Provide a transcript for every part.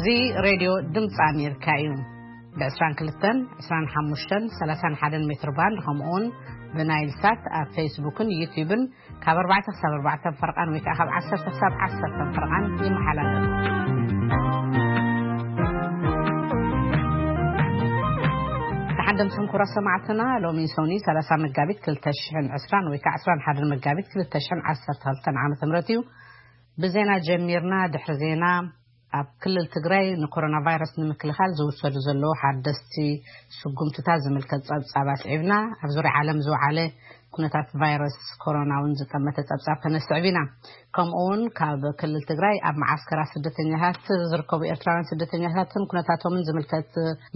እዚ ሬድዮ ድምፂ ኣሜሪካ እዩ። ብ22፣ 25፣ 31 ሜትር ባንድ፣ ከምኡውን ብናይል ሳት ኣብ ፌስቡክን ዩቲዩብን ካብ ኣርባዕተ ክሳብ ኣርባዕተ ፈርቓን ወይ ከዓ ካብ ዓሰርተ ክሳብ ዓሰርተ ፈርቓን ይመሓላለፍ። ንሓደምስም ኩራ ሰማዕትና፣ ሎሚ ሰኒ 30 መጋቢት 2020 ወይ ከዓ 21 መጋቢት 2012 ዓመተ ምህረት እዩ። ብዜና ጀሚርና። ድሕሪ ዜና፣ ኣብ ክልል ትግራይ ንኮሮና ቫይረስ ንምክልኻል ዝውሰዱ ዘለዉ ሓደስቲ ስጉምትታት ዝምልከት ጸብጻብ ኣስዒብና። ኣብ ዙርያ ዓለም ዝወዓለ ኩነታት ቫይረስ ኮሮና እውን ዝጠመተ ጸብጻብ ከነስዕብ ኢና። ከምኡ እውን ካብ ክልል ትግራይ ኣብ መዓስከራት ስደተኛታት ዝርከቡ ኤርትራውያን ስደተኛታትን ኩነታቶምን ዝምልከት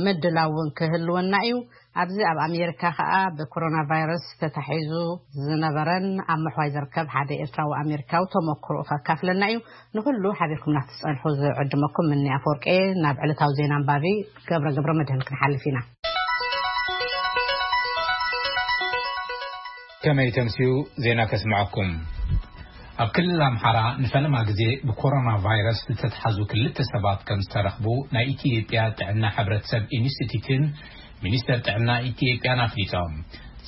ምድላው እውን ክህልወና እዩ። ኣብዚ ኣብ ኣሜሪካ ከኣ ብኮሮና ቫይረስ ተታሒዙ ዝነበረን ኣብ ምሕዋይ ዝርከብ ሓደ ኤርትራዊ ኣሜሪካዊ ተመክሮኡ ከካፍለና እዩ። ንኹሉ ሓቢርኩም ናትጸንሑ ዝዕድመኩም ምኒ ኣፈወርቄ። ናብ ዕለታዊ ዜና ኣንባቢ ገብረ ገብረ መድህን ክንሓልፍ ኢና። ከመይ ተምስዩ ዜና ከስምዐኩም። ኣብ ክልል ኣምሓራ ንፈለማ ግዜ ብኮሮና ቫይረስ ዝተትሓዙ ክልተ ሰባት ከም ዝተረኽቡ ናይ ኢትዮጵያ ጥዕና ሕብረተሰብ ኢንስቲትዩትን ሚኒስተር ጥዕና ኢትዮጵያን ኣፍሊጦም።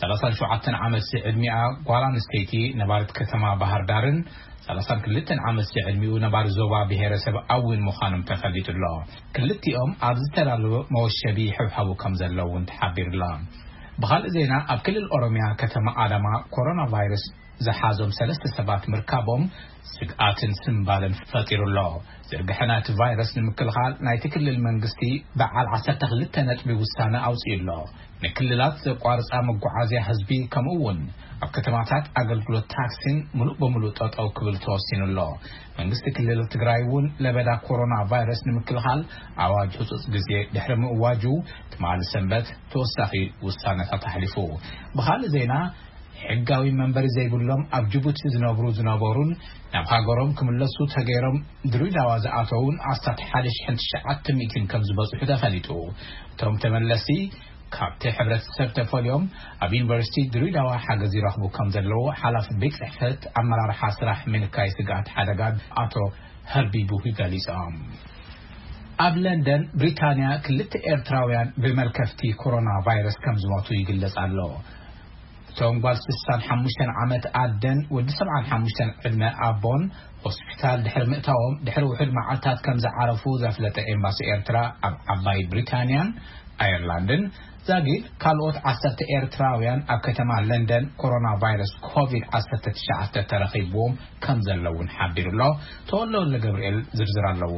37 ዓመት ዝዕድሚኣ ጓል ኣንስተይቲ ነባሪት ከተማ ባህር ዳርን 32 ዓመት ዝዕድሚኡ ነባሪ ዞባ ብሔረሰብ ኣዊን ምዃኖም ተፈሊጡ ኣሎ። ክልቲኦም ኣብ ዝተዳለወ መወሸቢ ይሕብሐቡ ከም ዘለዉ እውን ተሓቢሩ ኣሎ። ብኻልእ ዜና፣ ኣብ ክልል ኦሮሚያ ከተማ ኣዳማ ኮሮና ቫይረስ ዝሓዞም ሰለስተ ሰባት ምርካቦም ስግኣትን ስምባልን ፈጢሩ ኣሎ። ዝርግሐ ናይቲ ቫይረስ ንምክልኻል ናይቲ ክልል መንግስቲ በዓል 12 ነጥቢ ውሳነ ኣውፂኡ ኣሎ። ንክልላት ዘቋርፃ መጓዓዝያ ህዝቢ ከምኡ እውን ኣብ ከተማታት ኣገልግሎት ታክሲን ሙሉእ በሙሉእ ጠጠው ክብል ተወሲኑ ኣሎ። መንግስቲ ክልል ትግራይ እውን ለበዳ ኮሮና ቫይረስ ንምክልኻል ኣዋጅ ህፁፅ ግዜ ድሕሪ ምእዋጁ ትማሊ ሰንበት ተወሳኺ ውሳነታት ኣሕሊፉ። ብኻልእ ዜና፣ ሕጋዊ መንበሪ ዘይብሎም ኣብ ጅቡቲ ዝነብሩ ዝነበሩን ናብ ሃገሮም ክምለሱ ተገይሮም ድሬዳዋ ዝኣተውን ኣስታት 1,900 ከም ዝበፅሑ ተፈሊጡ። እቶም ተመለስቲ ካብቲ ሕብረተሰብ ተፈልዮም ኣብ ዩኒቨርሲቲ ድሬዳዋ ሓገዝ ይረኽቡ ከም ዘለዉ ሓላፊ ቤት ጽሕፈት ኣመራርሓ ስራሕ ምንካይ ስግኣት ሓደጋ ኣቶ ሀርቢ ቡሂ ገሊጾም። ኣብ ለንደን ብሪታንያ ክልተ ኤርትራውያን ብመልከፍቲ ኮሮና ቫይረስ ከም ዝሞቱ ይግለጽ ኣሎ። እቶም ጓል 65 ዓመት ኣደን ወዲ 75 ዕድመ ኣቦን ሆስፒታል ድሕሪ ምእታዎም ድሕሪ ውሑድ መዓልታት ከም ዝዓረፉ ዘፍለጠ ኤምባሲ ኤርትራ ኣብ ዓባይ ብሪታንያን ኣየርላንድን ዛጊድ ካልኦት ዓሰርተ ኤርትራውያን ኣብ ከተማ ለንደን ኮሮና ቫይረስ ኮቪድ-19 ተረኺብዎም ከም ዘለውን ሓቢሩ ኣሎ። ተወልደ ወልደ ገብርኤል ዝርዝር ኣለዎ።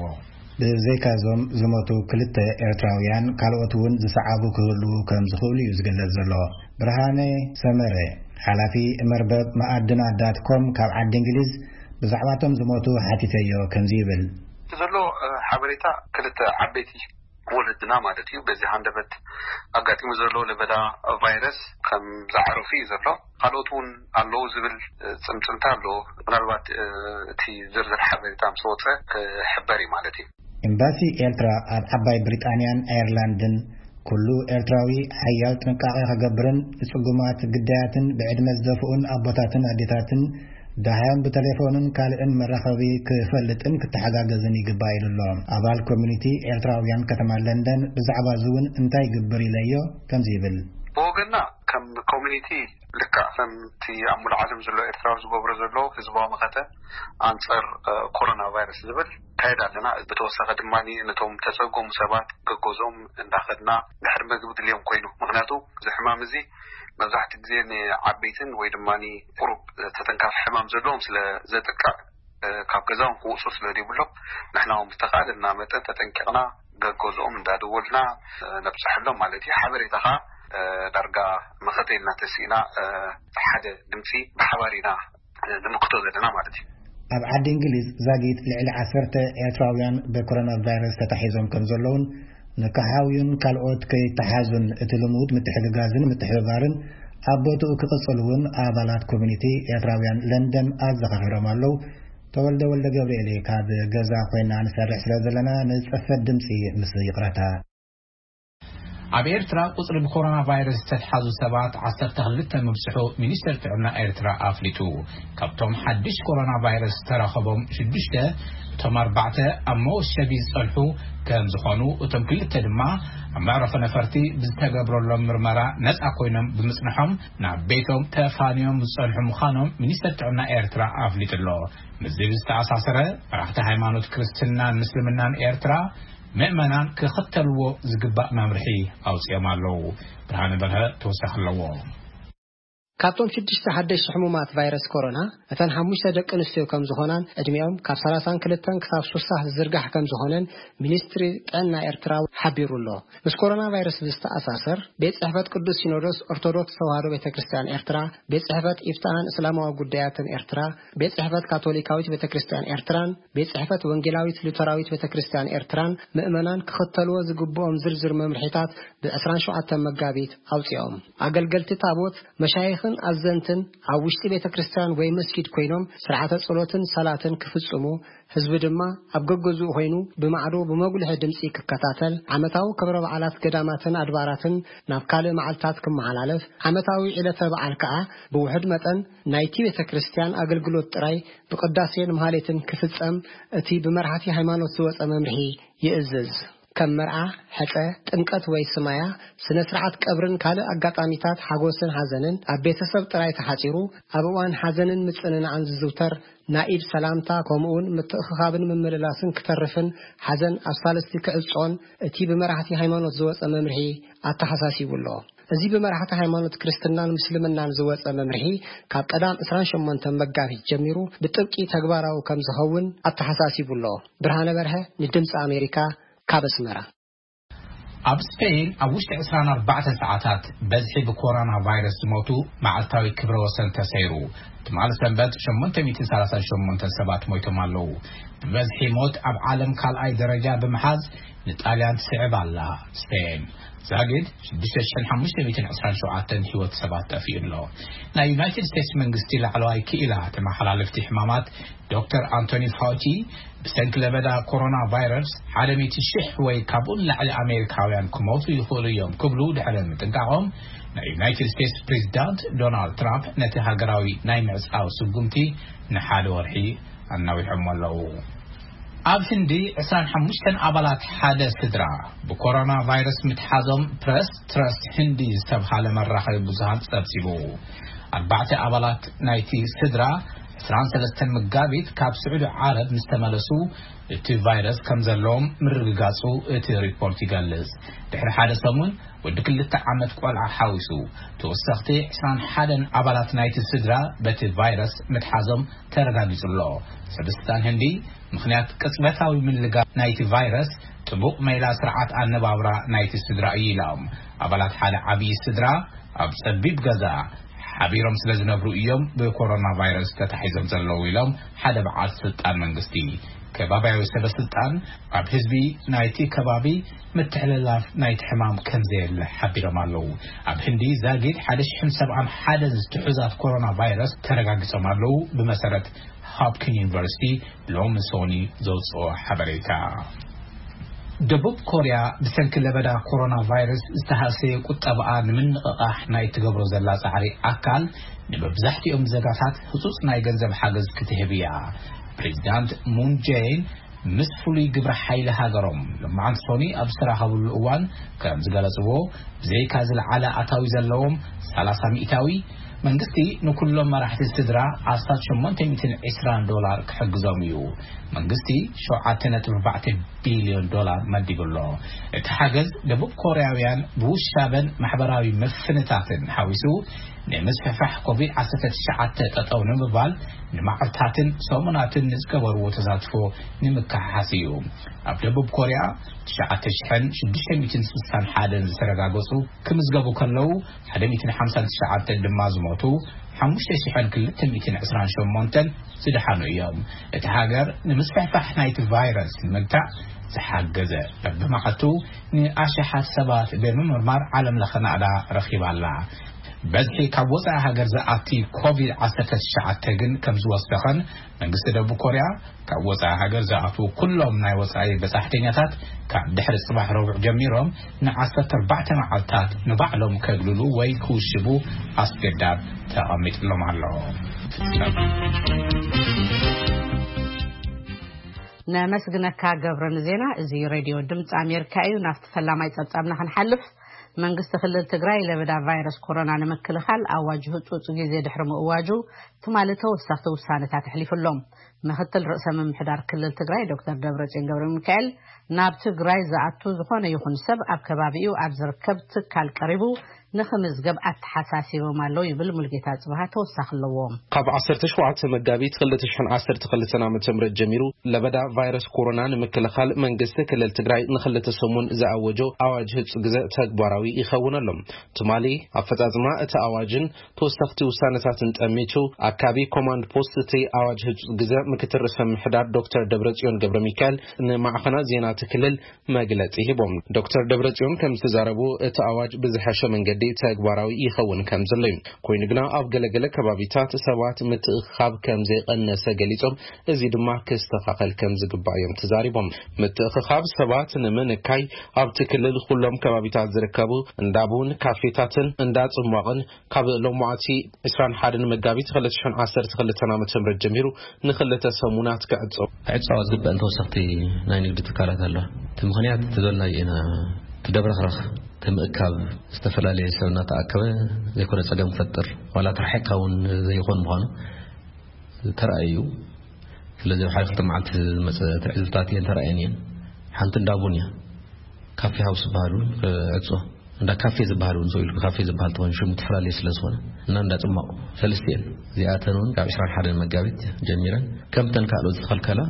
ብዘይካዞም ዝሞቱ ክልተ ኤርትራውያን ካልኦት እውን ዝሰዓቡ ክህልዉ ከም ዝኽእሉ እዩ ዝግለጽ ዘሎ። ብርሃነ ሰመረ፣ ሓላፊ መርበብ መኣድና ዳት ኮም ካብ ዓዲ እንግሊዝ ብዛዕባቶም ዝሞቱ ሓቲተዮ ከምዚ ይብል። ዘሎ፣ እ፣ ሓበሬታ ክልተ ዓበይቲ ወለድና ማለት እዩ። በዚ ሃንደበት ኣጋጢሙ ዘሎ ለበዳ ቫይረስ ከም ዝዓረፉ እዩ ዘሎ። ካልኦት እውን ኣለዉ ዝብል፣ እ፣ ጽምጽምታ ኣሎ። ምናልባት፣ እ፣ እቲ ዝርዝር ሓበሬታ ምስ ወጸ ክሕበር እዩ ማለት እዩ። ኤምባሲ ኤርትራ ኣብ ዓባይ ብሪጣንያን ኣየርላንድን ኩሉ ኤርትራዊ ሓያል ጥንቃቄ ክገብርን ንጽጉማት ግዳያትን ብዕድመ ዝደፍኡን ኣቦታትን ኣዴታትን ደሃዮም ብቴሌፎንን ካልእን መራኸቢ ክፈልጥን ክተሓጋገዝን ይግባእ ኢሉ ኣሎ። ኣባል ኮሚኒቲ ኤርትራውያን ከተማ ለንደን ብዛዕባ እዚ እውን እንታይ ይግብር ኢለዮ ከምዚ ይብል። ብወገንና ከም ኮሚኒቲ ልክዕ ከምቲ ኣብ ሙሉእ ዓለም ዘሎ ኤርትራዊ ዝገብሮ ዘሎ ህዝባዊ መኸተ ኣንጻር፣ እ፣ ኮሮና ቫይረስ ዝብል ካየድ ኣለና። ብተወሳኺ ድማ ነቶም ተጸገሙ ሰባት ገገዝኦም እንዳኸድና ድሕሪ መግቢ ድልዮም ኮይኑ፣ ምኽንያቱ እዚ ሕማም እዚ መብዛሕትኡ ግዜ ንዓበይትን ወይ ድማ ቁሩብ ተተንካፊ ሕማም ዘለዎም ስለ ዘጥቅዕ፣ እ፣ ካብ ገዛኦም ክወፁ ስለ ዘይብሎም ንሕና እውን ብተኻእለና መጠን ተጠንቂቕና ገገዝኦም እንዳደወልና፣ እ፣ ነብፅሐሎም ማለት እዩ። ሓበሬታ ኸዓ፣ እ፣ ዳርጋ መኸተ ኢልና ተሲእና፣ እ፣ ሓደ ድምፂ ብሓባር ኢና፣ እ፣ ንምክቶ ዘለና ማለት እዩ። ኣብ ዓዲ እንግሊዝ ዛጊት ልዕሊ ዓሰርተ ኤርትራውያን ብኮሮና ቫይረስ ተታሒዞም ከም ዘለውን ንክሓውዩን ካልኦት ከይተሓዙን እቲ ልሙድ ምትሕግጋዝን ምትሕብባርን ኣብ ቦትኡ ክቕጽል እውን ኣባላት ኮሚኒቲ ኤርትራውያን ለንደን ኣዘኻኺሮም ኣለዉ። ተወልደ ወልደ ገብርኤል እየ። ካብ ገዛ ኮይና ንሰርሕ ስለ ዘለና ንጽፈት ድምጺ ምስ ይቕረታ። ኣብ ኤርትራ ቁጽሪ ብኮሮና ቫይረስ ዝተትሓዙ ሰባት ዓሰርተ ክልተ ምብጽሑ ሚኒስተር ጥዕና ኤርትራ ኣፍሊጡ። ካብቶም ሓድሽ ኮሮና ቫይረስ ዝተረኸቦም ሽዱሽተ፣ እቶም ኣርባዕተ ኣብ መወሸቢ ዝጸንሑ ከም ዝኾኑ፣ እቶም ክልተ ድማ ኣብ መዕረፎ ነፈርቲ ብዝተገብረሎም ምርመራ ነጻ ኮይኖም ብምጽንሖም ናብ ቤቶም ተፋንዮም ዝጸንሑ ምዃኖም ሚኒስተር ጥዕና ኤርትራ ኣፍሊጡ ኣሎ። ምስዚ ብዝተኣሳሰረ፣ መራሕቲ ሃይማኖት ክርስትናን ምስልምናን ኤርትራ ምእመናን ክኽተልዎ ዝግባእ መምርሒ ኣውጺኦም ኣለዉ። ብርሃነ በርሀ ተወሳኺ ኣለዎ። ካብቶም ሽዱሽተ ሓደሽቲ ሕሙማት ቫይረስ ኮሮና፣ እተን ሓሙሽተ ደቂ ኣንስትዮ ከም ዝኾናን ዕድሚኦም ካብ ሰላሳን ክልተን ክሳብ ሱሳ ዝዝርጋሕ ከም ዝኾነን ሚኒስትሪ ጥዕና ኤርትራ ሓቢሩ ኣሎ። ምስ ኮሮና ቫይረስ ብዝተኣሳሰር፣ ቤት ጽሕፈት ቅዱስ ሲኖዶስ ኦርቶዶክስ ተዋህዶ ቤተ ክርስቲያን ኤርትራ፣ ቤት ጽሕፈት ኢፍትሐን እስላማዊ ጉዳያትን ኤርትራ፣ ቤት ጽሕፈት ካቶሊካዊት ቤተ ክርስቲያን ኤርትራን ቤት ጽሕፈት ወንጌላዊት ሉተራዊት ቤተ ክርስቲያን ኤርትራን ምእመናን ክኽተልዎ ዝግብኦም ዝርዝር መምርሒታት ብ ዕስራን ሸውዓተን መጋቢት ኣውጺኦም። ኣገልገልቲ ታቦት፣ መሻይኽን ኣዘንትን ኣብ ውሽጢ ቤተ ክርስቲያን ወይ መስጊድ ኮይኖም ስርዓተ ጸሎትን ሰላትን ክፍጽሙ፣ ህዝቢ ድማ ኣብ ገገዝኡ ኮይኑ ብማዕዶ ብመጉልሒ ድምጺ ክከታተል፣ ዓመታዊ ክብረ በዓላት ገዳማትን ኣድባራትን ናብ ካልእ መዓልታት ክመሓላለፍ፣ ዓመታዊ ዕለተ በዓል ከኣ ብውሑድ መጠን ናይቲ ቤተ ክርስቲያን ኣገልግሎት ጥራይ ብቅዳሴን ማህሌትን ክፍጸም እቲ ብመራሕቲ ሃይማኖት ዝወጸ መምርሒ ይእዝዝ። ከም መርዓ፣ ሕጸ፣ ጥምቀት ወይ ስማያ፣ ስነ ስርዓት ቀብርን ካልእ ኣጋጣሚታት ሓጎስን ሓዘንን ኣብ ቤተሰብ ጥራይ ተሓጺሩ፣ ኣብ እዋን ሓዘንን ምጽንናዕን ዝዝውተር ናይ ኢድ ሰላምታ፣ ከምኡውን ምትእኽኻብን ምምልላስን ክተርፍን፣ ሓዘን ኣብ ሳልስቲ ክዕጾን እቲ ብመራሕቲ ሃይማኖት ዝወጸ መምርሒ ኣተሓሳሲቡ ኣሎ። እዚ ብመራሕቲ ሃይማኖት ክርስትናን ምስልምናን ዝወጸ መምርሒ ካብ ቀዳም ዕስራን ሸሞንተን መጋቢት ጀሚሩ ብጥብቂ ተግባራዊ ከም ዝኸውን ኣተሓሳሲቡ ኣሎ። ብርሃነ በርሀ ንድምፂ ኣሜሪካ ካብ ኣስመራ። ኣብ ስፔን ኣብ ውሽጢ ዕስራን ኣርባዕተን ሰዓታት በዝሒ ብኮሮና ቫይረስ ዝሞቱ መዓልታዊ ክብረ ወሰን ተሰይሩ። ትማሊ ሰንበት ሸሞንተ ሚእትን ሰላሳን ሸሞንተ ሰባት ሞይቶም ኣለዉ። ብበዝሒ ሞት ኣብ ዓለም ካልኣይ ደረጃ ብምሓዝ ንጣልያን ትስዕብ ኣላ። ስፔን ዛጊድ ሽዱሽተ ሽሕን ሓሙሽተ ሚእትን ዕስራን ሸውዓተን ህይወት ሰባት ጠፊኡ ኣሎ። ናይ ዩናይትድ ስቴትስ መንግስቲ ላዕለዋይ ክኢላ ተመሓላለፍቲ ሕማማት ዶክተር ኣንቶኒ ፋውቺ፣ ብሰንኪ ለበዳ ኮሮና ቫይረስ ሓደ ሚእቲ ሽሕ ወይ ካብኡ ንላዕሊ ኣሜሪካውያን ክሞቱ ይኽእሉ እዮም ክብሉ ድሕሪ ምጥንቃቖም፣ ናይ ዩናይትድ ስቴትስ ፕሬዚዳንት ዶናልድ ትራምፕ ነቲ ሃገራዊ ናይ ምዕጻው ስጉምቲ ንሓደ ወርሒ ኣናዊሖሞ ኣለዉ። ኣብ ህንዲ ዕስራን ሓሙሽተን ኣባላት ሓደ ስድራ ብኮሮና ቫይረስ ምትሓዞም ፕረስ ትረስት ህንዲ ዝተብሃለ መራኸቢ ብዙሃን ጸብጺቡ። ኣርባዕተ ኣባላት ናይቲ ስድራ ዕስራን ሰለስተን መጋቢት ካብ ስዑዲ ዓረብ ምስ ተመለሱ እቲ ቫይረስ ከም ዘለዎም ምርግጋጹ እቲ ሪፖርት ይገልጽ። ድሕሪ ሓደ ሰሙን ወዲ ክልተ ዓመት ቆልዓ ሓዊሱ ተወሰኽቲ ዕስራን ሓደን ኣባላት ናይቲ ስድራ በቲ ቫይረስ ምትሓዞም ተረጋጊጹ ኣሎ። ሰበስልጣን ህንዲ ምኽንያት ቅጽበታዊ ምልጋብ ናይቲ ቫይረስ ጥቡቕ ሜላ ስርዓት ኣነባብራ ናይቲ ስድራ እዩ ኢሎም። ኣባላት ሓደ ዓብዪ ስድራ ኣብ ጸቢብ ገዛ ሓቢሮም ስለ ዝነብሩ እዮም ብኮሮና ቫይረስ ተታሒዞም ዘለዉ ኢሎም ሓደ በዓል ስልጣን መንግስቲ። ከባብያዊ ሰበስልጣን ኣብ ህዝቢ ናይቲ ከባቢ ምትሕልላፍ ናይቲ ሕማም ከም ዘየለ ሓቢሮም ኣለዉ። ኣብ ህንዲ ዛጊድ ሓደ ሽሕን ሰብዓን ሓደን ዝትሑዛት ኮሮና ቫይረስ ተረጋጊጾም ኣለዉ፣ ብመሰረት ሆፕኪን ዩኒቨርሲቲ ሎሚ ሶኒ ዘውፅኦ ሓበሬታ። ደቡብ ኮርያ ብሰንኪ ለበዳ ኮሮና ቫይረስ ዝተሃሰየ ቁጠባኣ ንምንቕቓሕ ናይ ትገብሮ ዘላ ጻዕሪ ኣካል ንመብዛሕትኦም ዜጋታት ህጹጽ ናይ ገንዘብ ሓገዝ ክትህብ እያ። ፕሬዚዳንት ሙን ጄን ምስ ፍሉይ ግብረ ሓይሊ ሃገሮም ሎማዓንቲ ሶኒ ኣብ ዝተራኸብሉ እዋን ከም ዝገለጽዎ፣ ብዘይካ ዝለዓለ ኣታዊ ዘለዎም ሰላሳ ሚእታዊ፣ መንግስቲ ንኩሎም መራሕቲ ስድራ ኣስታት ሸሞንተ ሚእትን ዕስራን ዶላር ክሕግዞም እዩ። መንግስቲ ሸውዓተ ነጥቢ ኣርባዕተ ቢልዮን ዶላር መዲቡ ኣሎ። እቲ ሓገዝ ደቡብ ኮርያውያን ብውሻበን ማሕበራዊ ምፍንታትን ሓዊሱ ንምስፍሕፋሕ ኮቪድ ዓሰርተ ትሽዓተ ጠጠው ንምባል ንመዓልታትን ሰሙናትን ንዝገበርዎ ተሳትፎ ንምክሕሓስ እዩ። ኣብ ደቡብ ኮርያ ትሽዓተ ሽሕን ሽዱሽተ ሚእትን ስሳን ሓደን ዝተረጋገጹ ክምዝገቡ ከለዉ፣ ሓደ ሚእትን ሓምሳን ትሽዓተን ድማ ዝሞቱ፣ ሓሙሽተ ሽሕን ክልተ ሚእትን ዕስራን ሸሞንተን ዝደሓኑ እዮም። እቲ ሃገር ንምስፍሕፋሕ ናይቲ ቫይረስ ንምግታእ ዝሓገዘ በብመዓልቱ ንኣሽሓት ሰባት ብምምርማር ዓለም ለኸ ናእዳ ረኺባ ኣላ። በዝሒ ካብ ወፃኢ ሃገር ዝኣቲ ኮቪድ ዓሰርተ ትሽዓተ ግን ከም ዝወሰኸን፣ መንግስቲ ደቡብ ኮርያ ካብ ወፃኢ ሃገር ዝኣትዉ ኩሎም ናይ ወፃኢ በፃሕተኛታት ካብ ድሕሪ ፅባሕ ረቡዕ ጀሚሮም ን14 መዓልታት ንባዕሎም ከግልሉ ወይ ክውሽቡ ኣስገዳድ ተቐሚጥሎም ኣሎ። ነመስግነካ ገብረ ንዜና። እዚ ሬድዮ ድምፂ ኣሜሪካ እዩ። ናብቲ ፈላማይ ጸብጻብና ክንሓልፍ፣ መንግስቲ ክልል ትግራይ ለበዳ ቫይረስ ኮሮና ንምክልኻል ኣዋጅ ህጹጽ ግዜ ድሕሪ ምእዋጁ ትማሊ ተወሰኽቲ ውሳነታት ኣሕሊፉ ኣሎ። ምክትል ርእሰ ምምሕዳር ክልል ትግራይ ዶክተር ደብረጽዮን ገብረ ሚካኤል፣ ናብ ትግራይ ዝኣቱ ዝኾነ ይኹን ሰብ ኣብ ከባቢኡ ኣብ ዝርከብ ትካል ቀሪቡ ንኽምዝገብ ኣተሓሳሲቦም ኣለዉ ይብል ሙልጌታ ጽብሃ ተወሳኺ ኣለዎ። ካብ ዓሰርተ ሸውዓተ መጋቢት ክልተ ሽሕን ዓሰርተ ክልተን ዓመተ ምህረት ጀሚሩ ለበዳ ቫይረስ ኮሮና ንምክልኻል መንግስቲ ክልል ትግራይ ንክልተ ሰሙን ዝኣወጆ ኣዋጅ ህጹ ግዘ ተግባራዊ ይኸውን ኣሎ። ትማሊ ኣፈጻጽማ እቲ ኣዋጅን ተወሰኽቲ ውሳነታትን ጠሚቱ ኣካቢ ኮማንድ ፖስት እቲ ኣዋጅ ህጹ ግዘ ምክትል ርእሰ ምምሕዳር ዶክተር ደብረጽዮን ገብረ ሚካኤል ንማዕኸናት ዜና እቲ ክልል መግለጺ ሂቦም። ዶክተር ደብረጽዮን ከም ዝተዛረቡ እቲ ኣዋጅ ብዝሐሸ መንገዲ ተግባራዊ ይኸውን ከም ዘሎ እዩ። ኮይኑ ግና ኣብ ገለገለ ከባቢታት ሰባት ምትእኽኻብ ከም ዘይቐነሰ ገሊጾም፣ እዚ ድማ ክስተኻኸል ከም ዝግባእ እዮም ተዛሪቦም። ምትእኽኻብ ሰባት ንምንካይ ኣብቲ ክልል ኩሎም ከባቢታት ዝርከቡ እንዳ ቡን፣ ካፌታትን እንዳ ጽሟቕን ካብ ሎማዓቲ ዕስራን ሓደን መጋቢት ክልተ ሽሕን ዓሰርተ ክልተን ዓመተ ምህረት ጀሚሩ ንክልተ ሰሙናት ክዕጾ ክዕጸዋ ዝግበአን ተወሰኽቲ ናይ ንግዲ ትካላት ኣለዋ። እቲ ምኽንያት እቲ ዘልናዮ ኢና። እቲ ደብረኽረኽ፣ እቲ ምእካብ፣ ዝተፈላለየ ሰብ እናተኣከበ ዘይኮነ ጸገም ክፈጥር፣ ዋላ ተራሒቕካ እውን ዘይኾን ምዃኑ ተራእዩ። ስለዚ ኣብ ሓደ ክልተ መዓልቲ ዝመጸ ትዕዝብታት እየን ተራእየን እየን። ሓንቲ እንዳ ቡን እያ። ካፌ ሃውስ ዝበሃል እውን ክዕጾ፣ እንዳ ካፌ ዝበሃል እውን፣ ሰው ኢሉ ካፌ ዝበሃል ተኾይኑ ሽሙ ትፈላለየ ስለ ዝኾነ፣ እና እንዳ ጽማቑ፣ ሰለስቲኤን እዚኣተን እውን ካብ ዕስራን ሓደን መጋቢት ጀሚረን ከምተን ካልኦት ዝተኸልከላ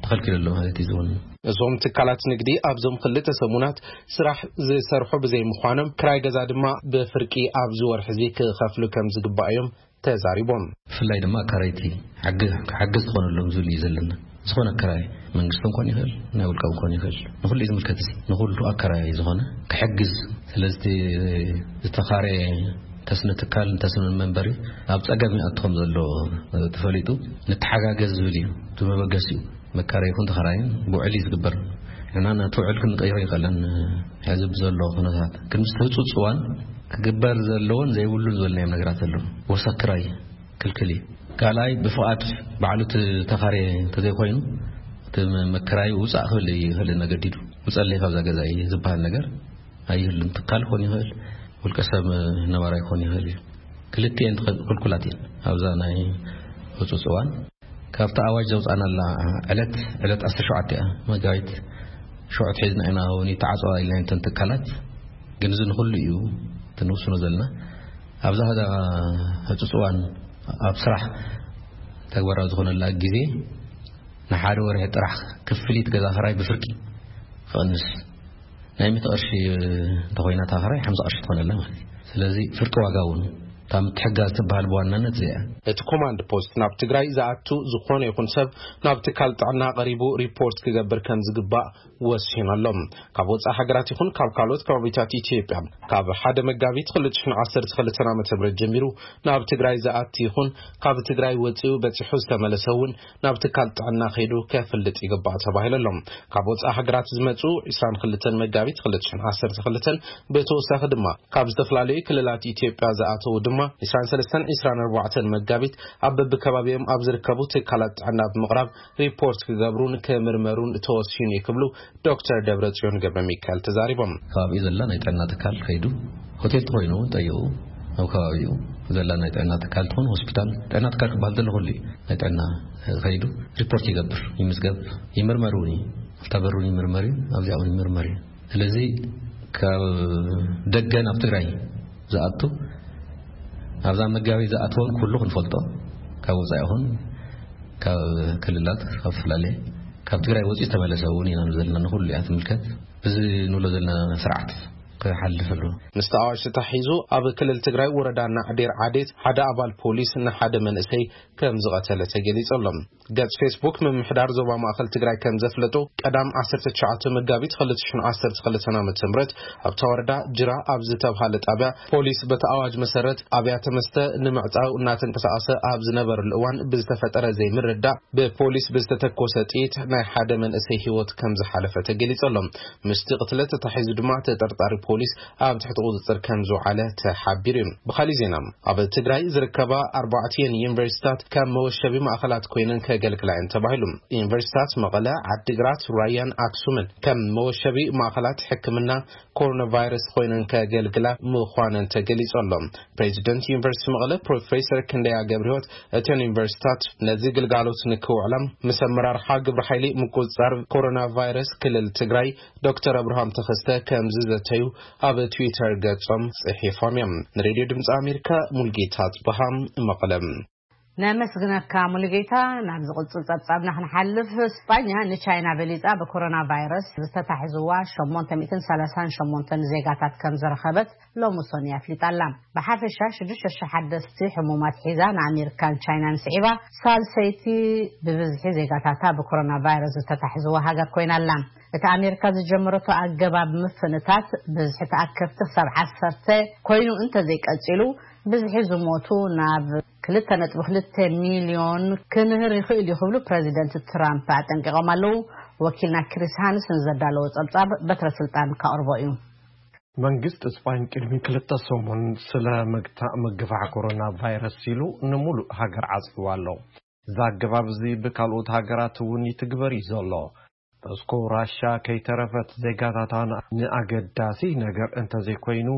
ተኸልኪሉ ኣሎ ማለት እዩ። ዝውን እዞም ትካላት ንግዲ ኣብዞም ክልተ ሰሙናት ስራሕ ዝሰርሑ ብዘይምዃኖም፣ ክራይ ገዛ ድማ ብፍርቂ ኣብዚ ወርሒ እዚ ክኸፍሉ ከም ዝግባእ እዮም ተዛሪቦም። ብፍላይ ድማ ኣካረይቲ ሓግ-፣ ክሓግዝ ዝኾነሎም ዝብል እዩ ዘለና። ዝኾነ ኣካራይ መንግስቲ እንኳን ይኽእል፣ ናይ ውልቃ እንኳን ይኽእል፣ ንኹሉ እዩ ዝምልከት። እዚ ንኹሉ ኣካራይ ዝኾነ ክሕግዝ። ስለዚ ዝተኻረ ተስነ ትካል፣ ተስነ መንበሪ ኣብ ጸገም ይኣትኹም ዘሎ ተፈሊጡ፣ ንተሓጋገዝ ዝብል እዩ። እቲ መበገሲ እዩ። መካረይ ይኹን ተኻራይን ብውዕል እዩ ዝግበር። ንሕና ነቲ ውዕል ክንቀይሮ ይኸለን። ሕዚ ብዘሎ ኩነታት ግን ምስ ህፁፅ እዋን ክግበር ዘለዎን ዘይብሉን ዝበልናዮም ነገራት ኣለዉ። ወሰክራይ ክልክል እዩ። ካልኣይ፣ ብፍቓድ ባዕሉ እቲ ተኻርየ እንተዘይኮይኑ፣ እቲ መ-፣ መከራዩ ውፃእ ክብል ይኽእል፣ ነገዲዱ ውፀለይ ካብዛ ገዛ እዩ ዝበሃል ነገር ኣይህሉን። ትካል ክኾን ይኽእል፣ ውልቀ ሰብ ነባራይ ክኾን ይኽእል እዩ። ክልቲኤን ትኸ-፣ ክልኩላት እየን። ኣብዛ ናይ ህፁፅ እዋን ካብቲ ኣዋጅ ዘውፃእናላ ዕለት፣ ዕለት ዓሰርተ ሸውዓተ እያ መጋቢት። ሽዑ ሒዝና ኢና እውን ይተዓፀዋ ኢልና እንተን ትካላት፣ ግን እዚ ንኹሉ እዩ እቲ ንውስኖ ዘለና። ኣብዛ ህዳ ህፁፅ እዋን ኣብ ስራሕ ተግባራዊ ዝኾነላ ግዜ ንሓደ ወርሒ ጥራሕ ክፍሊት ገዛ ኽራይ ብፍርቂ ክቕንስ፣ ናይ ሚእቲ ቅርሺ እንተኾይና እታ ኽራይ ሓምሳ ቅርሺ ትኾነላ ማለት እዩ። ስለዚ ፍርቂ ዋጋ እውን እታ ምትሕጋዝ ትበሃል ብዋናነት እዚኣ እያ። እቲ ኮማንድ ፖስት ናብ ትግራይ ዝኣቱ ዝኾነ ይኹን ሰብ ናብ ትካል ጥዕና ቀሪቡ ሪፖርት ክገብር ከም ዝግባእ ወሲኑ ኣሎ። ካብ ወፃኢ ሃገራት ይኹን ካብ ካልኦት ከባቢታት ኢትዮጵያ ካብ ሓደ መጋቢት ክልተ ሽሕን ዓሰርተ ክልተን ዓመተ ምህረት ጀሚሩ ናብ ትግራይ ዝኣቲ ይኹን ካብ ትግራይ ወፂኡ በፂሑ ዝተመለሰ እውን ናብ ትካል ጥዕና ከይዱ ከፍልጥ ይግባእ ተባሂሉ ኣሎ። ካብ ወፃኢ ሃገራት ዝመፁ ዕስራን ክልተን መጋቢት ክልተ ሽሕን ዓሰርተ ክልተን ብተወሳኺ ድማ ካብ ዝተፈላለዩ ክልላት ኢትዮጵያ ዝኣተዉ ድማ ዕስራን ሰለስተን ዕስራን ኣርባዕተን መጋቢት ኣብ በብከባቢኦም ኣብ ዝርከቡ ትካላት ጥዕና ብምቕራብ ሪፖርት ክገብሩን ክምርመሩን ተወሲኑ እዩ ክብሉ ዶክተር ደብረጽዮን ገብረ ሚካኤል ተዛሪቦም። ከባቢኡ ዘላ ናይ ጥዕና ትካል ከይዱ፣ ሆቴል ተኾይኑ እውን ጠይቑ፣ ኣብ ከባቢኡ ዘላ ናይ ጥዕና ትካል ትኹን ሆስፒታል፣ ጥዕና ትካል ክበሃል ዘሎ ኩሉ እዩ። ናይ ጥዕና ከይዱ ሪፖርት ይገብር፣ ይምዝገብ፣ ይምርመር እውን እዩ። ኣፍታ በሩን ይምርመር እዩ፣ ኣብዚኣ እውን ይምርመር እዩ። ስለዚ ካብ ደገ ናብ ትግራይ ዝኣቱ፣ ኣብዛ መጋቢት ዝኣተወን ኩሉ ክንፈልጦ፣ ካብ ወፃኢ ይኹን ካብ ክልላት፣ ካብ ዝተፈላለየ፣ ካብ ትግራይ ወፂኡ ዝተመለሰ እውን ኢና ዘለና። ንኩሉ እያ ትምልከት። እዚ ንብሎ ዘለና ስርዓት ሓልፍሉ። ምስቲ ኣዋጅ ተታሒዙ ኣብ ክልል ትግራይ ወረዳ ናዕዴር ዓዴት ሓደ ኣባል ፖሊስ ንሓደ መንእሰይ ከም ዝቐተለ ተገሊጹ ኣሎ። ገጽ ፌስቡክ ምምሕዳር ዞባ ማእከል ትግራይ ከም ዘፍለጡ፣ ቀዳም ዓሰርተ ትሽዓተ መጋቢት ክልተ ሽሕን ዓሰርተ ክልተን ዓመተ ምህረት ኣብታ ወረዳ ጅራ ኣብ ዝተብሃለ ጣብያ ፖሊስ በቲ ኣዋጅ መሰረት ኣብያተ መስተ ንምዕጻው እናተንቀሳቐሰ ኣብ ዝነበረሉ እዋን ብዝተፈጠረ ዘይምርዳእ ብፖሊስ ብዝተተኮሰ ጥይት ናይ ሓደ መንእሰይ ህይወት ከም ዝሓለፈ ተገሊጹ ኣሎ። ምስቲ ቅትለት ተታሒዙ ድማ ተጠርጣሪ ፖሊስ ኣብ ትሕቲ ቁጽጽር ከም ዝውዓለ ተሓቢሩ እዩ። ብኻሊእ ዜና፣ ኣብ ትግራይ ዝርከባ ኣርባዕቲኤን ዩኒቨርሲታት ከም መወሸቢ ማእኸላት ኮይነን ከገልግላ እየን ተባሂሉ። ዩኒቨርሲታት መቐለ፣ ዓዲግራት፣ ራያን ኣክሱምን ከም መወሸቢ ማእኸላት ሕክምና ኮሮና ቫይረስ ኮይነን ከገልግላ ምዃነን ተገሊጹ ኣሎ። ፕሬዚደንት ዩኒቨርሲቲ መቐለ ፕሮፌሰር ክንደያ ገብረህይወት፣ እተን ዩኒቨርሲታት ነዚ ግልጋሎት ንክውዕላ ምስ ኣመራርሓ ግብረ ሓይሊ ምቁጽጻር ኮሮና ቫይረስ ክልል ትግራይ ዶክተር ኣብርሃም ተኸስተ ከም ዝዘተዩ ኣብ ትዊተር ገጾም ጽሒፎም እዮም። ንሬድዮ ድምፂ ኣሜሪካ ሙልጌታ ጽበሃ፣ መቐለ። ነመስግነካ ሙሉጌታ። ናብ ዝቕጽል ጸብጻብና ክንሓልፍ፣ ስጳኛ ንቻይና በሊጻ ብኮሮና ቫይረስ ዝተታሕዝዋ ሸሞንተ ሚእትን ሰላሳን ሸሞንተን ዜጋታት ከም ዝረኸበት ሎሚ ሰኑይ ኣፍሊጣ ኣላ። ብሓፈሻ ሽዱሽተ ሽሕ ሓደስቲ ሕሙማት ሒዛ ንኣሜሪካን ቻይናን ስዒባ ሳልሰይቲ ብብዝሒ ዜጋታታ ብኮሮና ቫይረስ ዝተታሕዝዋ ሃገር ኮይና ኣላ። እቲ ኣሜሪካ ዝጀመረቶ ኣገባብ ምፍንታት ብዝሒ ተኣከብቲ ክሳብ ዓሰርተ ኮይኑ እንተዘይቀጺሉ፣ ብዝሒ ዝሞቱ ናብ ክልተ ነጥቢ ክልተ ሚልዮን ክንህር ይኽእል እዩ ክብሉ ፕረዚደንት ትራምፕ ኣጠንቂቖም ኣለዉ። ወኪልና ክሪስ ሃንስ ንዘዳለዎ ጸብጻብ በትረ ስልጣን ከቕርቦ እዩ። መንግስቲ እስጳኝ ቅድሚ ክልተ ሰሙን ስለ ምግታእ ምግፋሕ ኮሮና ቫይረስ ኢሉ ንምሉእ ሃገር ዓጽይዋ ኣሎ። እዚ ኣገባብ እዚ ብካልኦት ሃገራት እውን ይትግበር እዩ ዘሎ። ሞስኮ ራሻ ከይተረፈት ዜጋታታ ንኣገዳሲ ነገር እንተዘይኮይኑ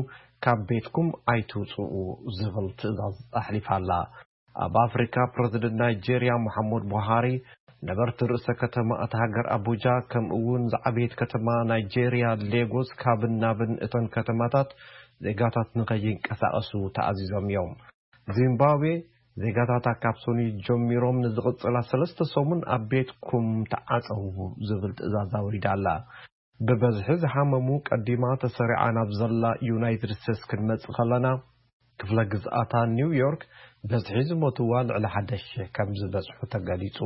ካብ ቤትኩም ኣይትውፅኡ ዝብል ትእዛዝ ኣሕሊፋ ኣላ። ኣብ ኣፍሪካ ፕረዚደንት ናይጄርያ መሓመድ ቡሃሪ ነበርቲ ርእሰ ከተማ እታ ሃገር ኣቡጃ ከምኡ እውን ዝዓበየት ከተማ ናይጄርያ ሌጎስ ካብን ናብን እተን ከተማታት ዜጋታት ንከይንቀሳቐሱ ተኣዚዞም እዮም። ዚምባብዌ ዜጋታታ ካብ ሰኑይ ጀሚሮም ንዝቕጽላ ሰለስተ ሰሙን ኣብ ቤትኩም ተዓጸዉ ዝብል ትእዛዝ ኣውሪዳ ኣላ። ብበዝሒ ዝሓመሙ ቀዲማ ተሰሪዓ ናብ ዘላ ዩናይትድ ስቴትስ ክንመጽእ ከለና፣ ክፍለ ግዝኣታ ኒውዮርክ በዝሒ ዝሞትዋ ልዕሊ ሓደ ሺሕ ከም ዝበጽሑ ተገሊጹ።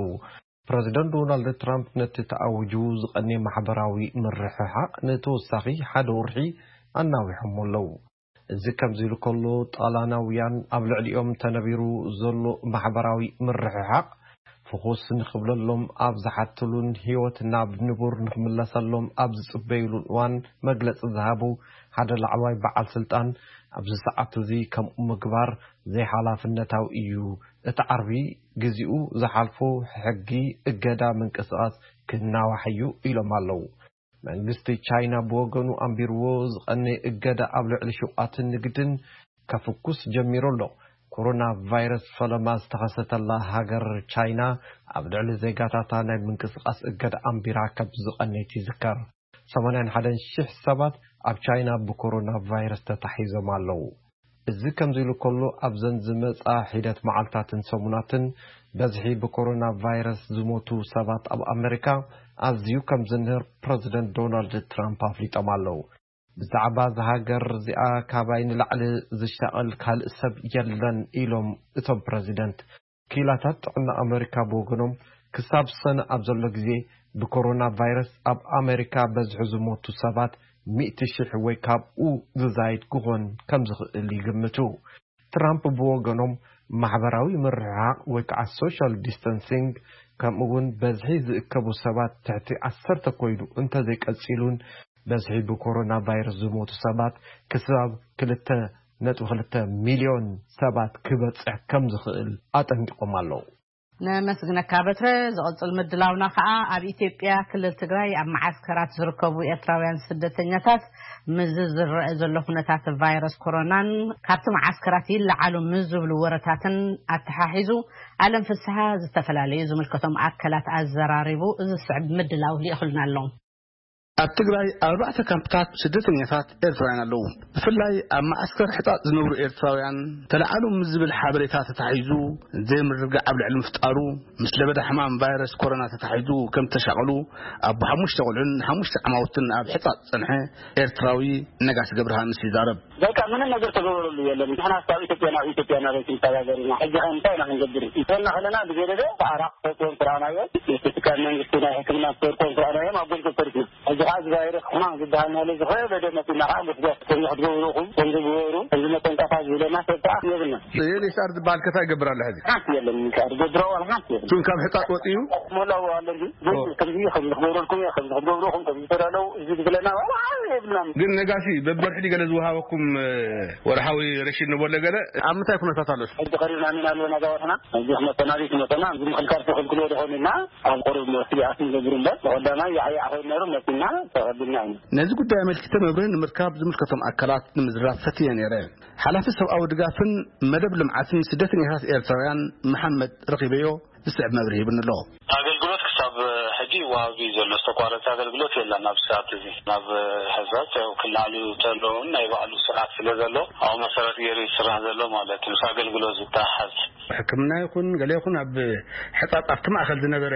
ፕረዚደንት ዶናልድ ትራምፕ ነቲ ተኣዊጁ ዝቐንየ ማሕበራዊ ምርሕሓቕ ንተወሳኺ ሓደ ወርሒ ኣናዊሖሞ ኣለዉ። እዚ ከምዚ ኢሉ ከሎ፣ ጣልያናውያን ኣብ ልዕሊኦም ተነቢሩ ዘሎ ማሕበራዊ ምርሕሓቕ ፍኹስ ንኽብለሎም ኣብ ዝሓትሉን ህይወት ናብ ንቡር ንኽምለሰሎም ኣብ ዝጽበዩሉን እዋን መግለጺ ዝሃቡ ሓደ ላዕለዋይ በዓል ስልጣን፣ ኣብዚ ሰዓት እዚ ከምኡ ምግባር ዘይሓላፍነታዊ እዩ። እቲ ዓርቢ ግዜኡ ዝሓልፎ ሕጊ እገዳ ምንቅስቓስ ክናዋሕ እዩ ኢሎም ኣለዉ። መንግስቲ ቻይና ብወገኑ ኣንቢርዎ ዝቐነየ እገዳ ኣብ ልዕሊ ሹቓትን ንግድን ከፍኩስ ጀሚሩ ኣሎ። ኮሮና ቫይረስ ፈለማ ዝተኸሰተላ ሃገር ቻይና ኣብ ልዕሊ ዜጋታታ ናይ ምንቅስቓስ እገዳ ኣንቢራ ከም ዝቐነየት ይዝከር። ሰማንያን ሓደን ሽሕ ሰባት ኣብ ቻይና ብኮሮና ቫይረስ ተታሒዞም ኣለዉ። እዚ ከምዚ ኢሉ ከሎ፣ ኣብዘን ዝመጻ ሒደት መዓልታትን ሰሙናትን በዝሒ ብኮሮና ቫይረስ ዝሞቱ ሰባት ኣብ ኣመሪካ ኣዝዩ ከም ዝንህር ፕረዚደንት ዶናልድ ትራምፕ ኣፍሊጦም ኣለዉ። ብዛዕባ እዛ ሃገር እዚኣ ካባይ ንላዕሊ ዝሻቐል ካልእ ሰብ የለን ኢሎም እቶም ፕረዚደንት። ክኢላታት ጥዕና ኣመሪካ ብወገኖም፣ ክሳብ ሰነ ኣብ ዘሎ ግዜ ብኮሮና ቫይረስ ኣብ ኣመሪካ በዝሒ ዝሞቱ ሰባት ሚእቲ ሽሕ ወይ ካብኡ ዝዛይድ ክኾን ከም ዝኽእል ይግምቱ። ትራምፕ ብወገኖም፣ ማሕበራዊ ምርሕሓቕ ወይ ከዓ ሶሻል ዲስተንሲንግ፣ ከምኡ እውን በዝሒ ዝእከቡ ሰባት ትሕቲ ዓሰርተ ኮይኑ እንተዘይቀጺሉን፣ በዝሒ ብኮሮና ቫይረስ ዝሞቱ ሰባት ክሳብ ክልተ ነጥቢ ክልተ ሚልዮን ሰባት ክበጽሕ ከም ዝኽእል ኣጠንቂቖም ኣለዉ። ነመስግነካ በትረ። ዝቕጽል ምድላውና ከኣ ኣብ ኢትዮጵያ ክልል ትግራይ ኣብ መዓስከራት ዝርከቡ ኤርትራውያን ስደተኛታት ምስዚ ዝረአ ዘሎ ኩነታት ቫይረስ ኮሮናን ካብቲ መዓስከራት ይለዓሉ ምስ ዝብሉ ወረታትን ኣተሓሒዙ ኣለም ፍስሓ ዝተፈላለዩ ዝምልከቶም ኣካላት ኣዘራሪቡ ዝስዕብ ምድላው ልኢኹልና ኣሎ። ኣብ ትግራይ ኣብ ኣርባዕተ ካምፕታት ስደተኛታት ኤርትራውያን ኣለዉ። ብፍላይ ኣብ መዓስከር ሕጻጽ ዝነብሩ ኤርትራውያን ተለዓሉ ምስ ዝብል ሓበሬታ ተታሒዙ ዘይምርግጋዕ ኣብ ልዕሊ ምፍጣሩ፣ ምስ ለበዳ ሕማም ቫይረስ ኮሮና ተታሒዙ ከም ዝተሻቐሉ ኣቦ ሓሙሽተ ቆልዑን ሓሙሽተ ዓማውትን ኣብ ሕጻጽ ዝጸንሐ ኤርትራዊ ነጋሲ ገብረሃንስ ይዛረብ። በቃ ምንም ነገር ተገበረሉ የለን። ንሕና ኣብ ኢትዮጵያ ናብ ኢትዮጵያ እናበልኩ ንተጋገር ኢና። ሕጂ ኸ እንታይ ኢና ክንገብር? ይኾንና ከለና ብዘለለ ብዓራቕ ተወጥዎም ስራናዮ፣ የስቲካ መንግስቲ ናይ ሕክምና ተወጥዎም ስራናዮም ኣብ ጎልጎል ተሪፍና። ሕጂ ኸዓ እዚ ቫይረስ ሕማም ዝበሃል ናለ ዝኸበደ መፂና ኸዓ ጉስጓስ ከምዚ ክትገብሩ ኢኹም፣ ከምዚ ግበሩ፣ ከምዚ መጠንቀቕታ ዝብለና ሰብ ከዓ የብልና። ዩኤንኤችሲኣር ዝበሃል ከ እንታይ ይገብር ኣሎ ሕዚ? ሓንቲ የለን፣ ዩኤንኤችሲኣር ዝገብሮ ዋላ ሓንቲ የብልና። እሱን ካብ ሕጻጽ ወፂኡ? ሞላው ኣሎ እንጂ፣ ግን ኦ። ከምዚ፣ ከምዚ ክገብረልኩም እየ፣ ከምዚ ክትገብሩ ኢኹም፣ ከምዚ ተዳለው፣ እዚ ዝብለና ዋላ ሓደ የብልናን። ግን ነጋሲ፣ በብወርሒ ድዩ ገለ ዝወሃበኩም፣ እ፣ ወርሓዊ ረሽን ንበሎ ገለ? ኣብ ምንታይ ኩነታት ኣሎ? ሕጂ ቀሪብና ኢና ኣለና ገባትና። ሕጂ ክመጠና ድዩ ክመጠና፣ እዚ ምክልካል ተኸልክሎ ዶ ኾን ኢልና፣ ኣብ ቁሩብ ስግኣት ንገብር እምበር፣ ብቐዳማይ ያዕያዕ ኮይኑ ነይሩ፣ መጺና ተቐቢልና ኢና። ነዚ ጉዳይ ኣመልኪተ መብርሂ ንምርካብ ዝምልከቶም ኣካላት ንምዝራብ ፈትየ ነይረ። ሓላፊ ሰብኣዊ ድጋፍን መደብ ልምዓትን ስደተኛታት ኤርትራውያን መሓመድ ረኺበዮ ዝስዕብ መብርሂ ሂብኒ ኣሎ። ኣገልግሎት ክሳብ ሕጂ ይወሃብ እዩ ዘሎ። ዝተቋረጸ ኣገልግሎት የለን። ኣብ ሰዓት እዚ ናብ ሕዛት ያው ክላሉ ተለውን ናይ ባዕሉ ስርዓት ስለ ዘሎ ኣብ መሰረት ገይሩ ይስራሕ ዘሎ ማለት እዩ። ምስ ኣገልግሎት ዝተሓዝ ሕክምና ይኹን ገለ ይኹን ኣብ ሕጻጽ ኣብቲ ማእከል ዝነበረ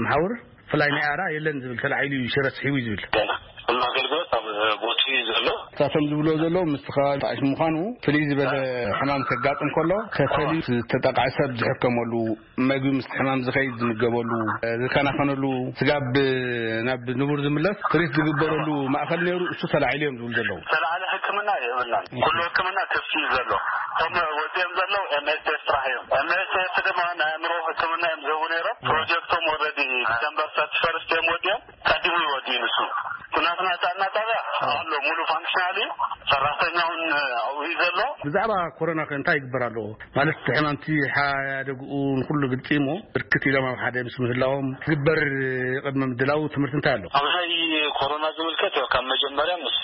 መሓውር ብፍላይ ናይ ኣራ የለን ዝብል ተላዒሉ እዩ ሽረ ስሒቡ እዩ ዝብል። ገና ኩሉ ኣገልግሎት ኣብ ቦትኡ እዩ ዘሎ። እሳቶም ዝብሎ ዘለዉ ምስ ተኸባቢ ጣዕሽ ምዃኑ ፍልይ ዝበለ ሕማም ከጋጥም ከሎ ተፈሊ ዝተጠቕዐ ሰብ ዝሕከመሉ መግቢ ምስቲ ሕማም ዝኸይድ ዝምገበሉ ዝከናኸነሉ ስጋብ ናብ ንቡር ዝምለስ ትሪት ዝግበረሉ ማእኸል ነይሩ እሱ ተላዒሉ እዮም ዝብሉ ዘለዉ። ተላዓለ ሕክምና የብልናን። ኩሉ ሕክምና ክፍቲ እዩ ዘሎ። እቶም ወፂኦም ዘለዉ ኤምኤስኤፍ ጥራሕ እዮም። ኤምኤስኤፍ ድማ ናይ ኣእምሮ ሕክምና እዮም ዝህቡ ነይሮም። ፕሮጀክቶም ወረዲ ዲሰምበር ሰርቲ ፈርስት እዮም ወፂኦም። ቀዲሙ ይወዲ ንሱ ኩናትና ጣና ጣብያ ኣሎ ሙሉ ፋንክሽናል እዩ። ሰራሕተኛውን ኣብኡ እዩ ዘሎ። ብዛዕባ ኮሮና ከ እንታይ ይግበር ኣለዎ? ማለት እቲ ሕማምቲ ሓደግኡ ንኩሉ ግልፂ እሞ ብርክት ኢሎም ኣብ ሓደ ምስ ምህላዎም ዝግበር ቅድመ ምድላው ትምህርቲ እንታይ ኣሎ? ኣብ ናይ ኮሮና ዝምልከት ያው ካብ መጀመርያ ምስ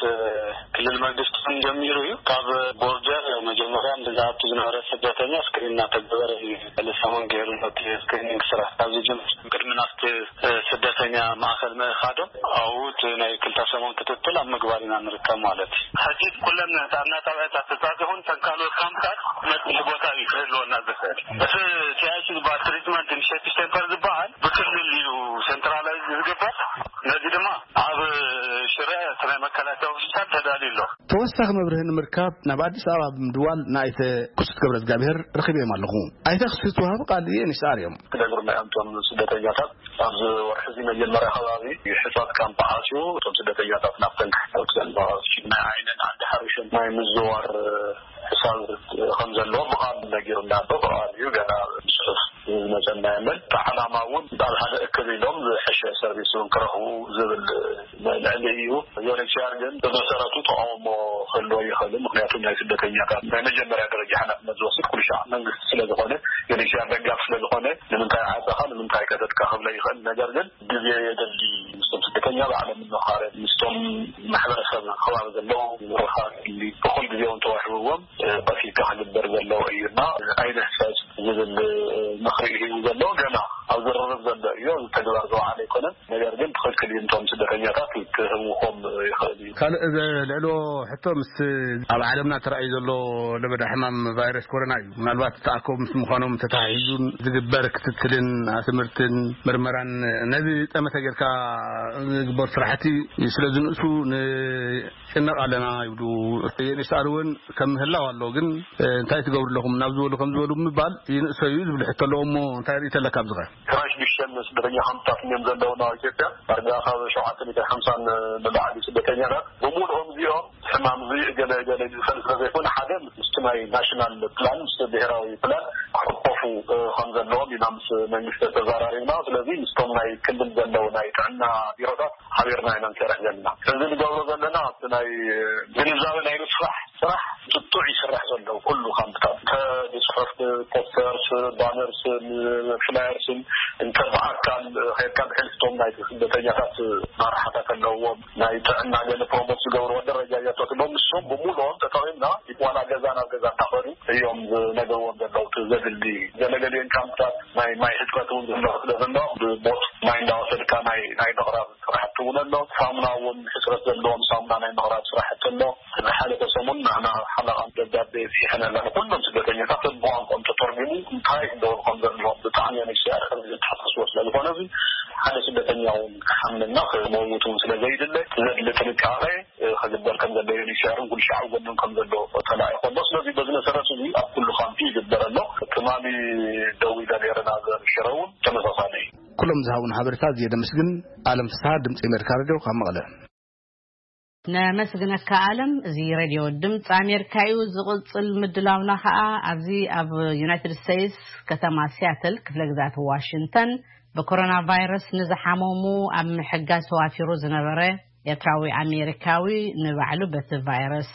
ክልል መንግስቲ ጀሚሩ እዩ። ካብ ቦርደር መጀመርያ ዝኣቱ ዝነበረ ስደተኛ ስክሪን እናተገበረ እዩ። ልሳሙን ገይሩ ነቲ ስክሪኒንግ ስራሕ ካብ ዝጅምር ቅድሚ ናብቲ ስደተኛ ማእከል ምእኻዶም ኣብኡ እቲ ናይ ክልተ ሰሙን ክትትል ኣብ ምግባር ኢና ንርከብ ማለት እዩ። ሕጂ ኩለን ጥዕና ጣብያታት ተጻጺኹን ተን ካልኦት ካምፕታት መጽልሒ ቦታ እዩ ክህልወና ዝኽእል። እቲ ቲኣይሲ ዝበሃል ትሪትመንት ኢኒሼቲቭ ሴንተር ዝበሃል ብክልል እዩ ሴንትራላይዝ ዝግበር። ነዚ ድማ ኣብ ሽረ እቲ ናይ መከላከያ ሆስፒታል ተዳልዩ ኣሎ። ተወሳኺ መብርሂ ንምርካብ ናብ ኣዲስ ኣበባ ብምድዋል ንኣይተ ክሱት ገብረ እግዚኣብሔር ረኺበዮም ኣለኹ። ኣይተ ክሱት ወሃቢ ቃል ዩኤንኤችሲኣር እዮም። ክነግሩና እዮም እቶም ስደተኛታት። ኣብዚ ወርሒ እዚ መጀመርያ ከባቢ ሕጻጽ ካምፕ ዓጽዩ እቶም ስደተኛታት ናብተን ክሓልፉ ዘለዋ ናይ ዓይንን ዓዲ ሓሪሾም ናይ ምዝዋር ሕሳብ ከም ዘለዎ ብቓል ነጊሩና ኣሎ። ብቓል እዩ፣ ገና ብጽሑፍ ዝመጸና የለን። እቲ ዓላማ እውን ኣብ ሓደ እክብ ኢሎም ዝሐሸ ሰርቪስ እውን ክረኽቡ ዝብል ልዕሊ እዩ። ዩኤንኤችሲኣር ግን ብመሰረቱ ተቃውሞ ክህልዎ ይኽእል። ምክንያቱ ናይ ስደተኛታት ናይ መጀመርያ ደረጃ ሓላፍነት ዝወስድ ኩሉ ሻዕ መንግስቲ ስለ ዝኾነ፣ ዩኤንኤችሲኣር ደጋፍ ስለ ዝኾነ፣ ንምንታይ ዓጸኻ፣ ንምንታይ ከፈትካ ክብሎ ይኽእል። ነገር ግን ግዜ የድሊ። ምስቶም ስደተኛ ባዕሎም ምምኻር፣ ምስቶም ማሕበረሰብ ከባቢ ዘለዉ ምርኻብ የድሊ። እኹል ግዜ እውን ተዋሂብዎም፣ እ፣ ቀስ ኢልካ ክግበር ዘለዎ እዩ እና ኣይንህሰስ ዝብል ምኽሪ እዩ ዘሎ። ገና ኣብ ዝርርብ ዘሎ እዩ፣ ኣብ ተግባር ዝወዓለ ኣይኮነን። ነገር ግን ትኽክል እዩ፣ እቶም ስደተኛታት ክህውኾም ይኽእል እዩ። ካልእ ዘልዕሎ ሕቶ ምስ ኣብ ዓለምና ተራእዩ ዘሎ ለበዳ ሕማም ቫይረስ ኮሮና እዩ። ምናልባት ተኣከቡ ምስ ምዃኖም ተተሓሒዙን ዝግበር ክትትልን ትምህርትን ምርመራን ነዚ ጠመተ ጌርካ ዝግበር ስራሕቲ ስለ ዝንእሱ ንጭነቕ ኣለና ይብሉ። ዩኤንኤችሲኣር እውን ከም ምህላው ኣሎ፣ ግን እንታይ ትገብሩ ኣለኹም ናብ ዝበሉ ከም ዝበሉ ምባል ይንእሰ እዩ ዝብል ሕቶ ኣለዎ። እሞ እንታይ ርእይቶ ኣለካ ኣብዚ ኸ? ትራንስሚሽን ስደተኛ ካምፕታት እዮም ዘለውና ኣብ ኢትዮጵያ። ዳርጋ ካብ ሸውዓተ ሚእትን ሓምሳን ንላዕሊ ስደተኛታት ብምሉኦም እዚኦም ሕማም እዚ እገለ እገለ ዝፈል ስለ ዘይኮነ፣ ሓደ ምስቲ ናይ ናሽናል ፕላን፣ ምስቲ ብሄራዊ ፕላን ክሕቆፉ፣ እ፣ ከም ዘለዎም ኢና ምስ መንግስቲ ተዘራሪብና። ስለዚ ምስቶም ናይ ክልል ዘለዉ ናይ ጥዕና ቢሮታት ሓቢርና ኢና ንሰርሕ ዘለና። እዚ ንገብሮ ዘለና ኣብቲ ናይ ግንዛበ ናይ ምስፋሕ ስራሕ ጥጡዕ ይስራሕ ዘሎ። ኩሉ ካምፕታት ከ-፣ ብጽሑፍ፣ ፖስተርስ፣ ባነርስ፣ ፍላየርስን እንተ ብኣካል ከይድካ ብሕልፍቶም ናይ ስደተኛታት መራሕታት ኣለዎም፣ ናይ ጥዕና ገለ ፕሮሞት ዝገብርዎ ደረጃ እያቶትሎም ንሶም ብሙሉኦም ተጠቒምና ዋላ ገዛ ናብ ገዛ እንዳኸዱ እዮም ዝነገርዎም ዘለዉ። እቲ ዘድሊ ገለገሊኦን ካምፕታት ናይ ማይ ሕፅረት እውን ዘሎ ስለ ዘሎ ብቦት ማይ እንዳወሰድካ ናይ ናይ ምቕራብ ስራሕቲ እውን ኣሎ። ሳሙና እውን ሕፅረት ዘለዎም ሳሙና ናይ ምቕራብ ስራሕቲ ኣሎ። ዝሓለፈ ሰሙን ንሕና ሓለቓ ደብዳቤ ፅሒፈን ኣለና ኩሎም ስደተኛታት ብቋንቋኦም ተተርጉሙ እንታይ ክገብሩ ከም ዘለዎም ብጣዕሚ ዩኤንኤችሲኣር ከም ዝተሓሳስቦ ስለ ዝኾነ እዚ ሓደ ስደተኛ እውን ክሓምምና ክመውት እውን ስለ ዘይድለ ዘድሊ ጥንቃቐ ክግበር ከም ዘሎ ዩኤንኤችሲኣር እውን ኩሉ ሻዕ ጎኖም ከም ዘሎ ተላኢኹ ኣሎ። ስለዚ በዚ መሰረት እዚ ኣብ ኩሉ ካምፕ ይግበር ኣሎ። ትማሊ ደዊለ ነይረ ናብ ሽረ እውን ተመሳሳሊ እዩ። ኩሎም ዝሃቡን ሓበሬታ ኣዝየ ደመስግን። ኣለም ፍስሃ ድምፂ ኣሜሪካ ሬድዮ ካብ መቐለ። ነመስግነካ ኣለም። እዚ ሬድዮ ድምፂ ኣሜሪካ እዩ። ዝቕፅል ምድላውና ከዓ ኣብዚ ኣብ ዩናይትድ ስቴትስ ከተማ ሲያትል ክፍለ ግዛት ዋሽንግተን ብኮሮና ቫይረስ ንዝሓመሙ ኣብ ምሕጋዝ ተዋፊሩ ዝነበረ ኤርትራዊ ኣሜሪካዊ ንባዕሉ በቲ ቫይረስ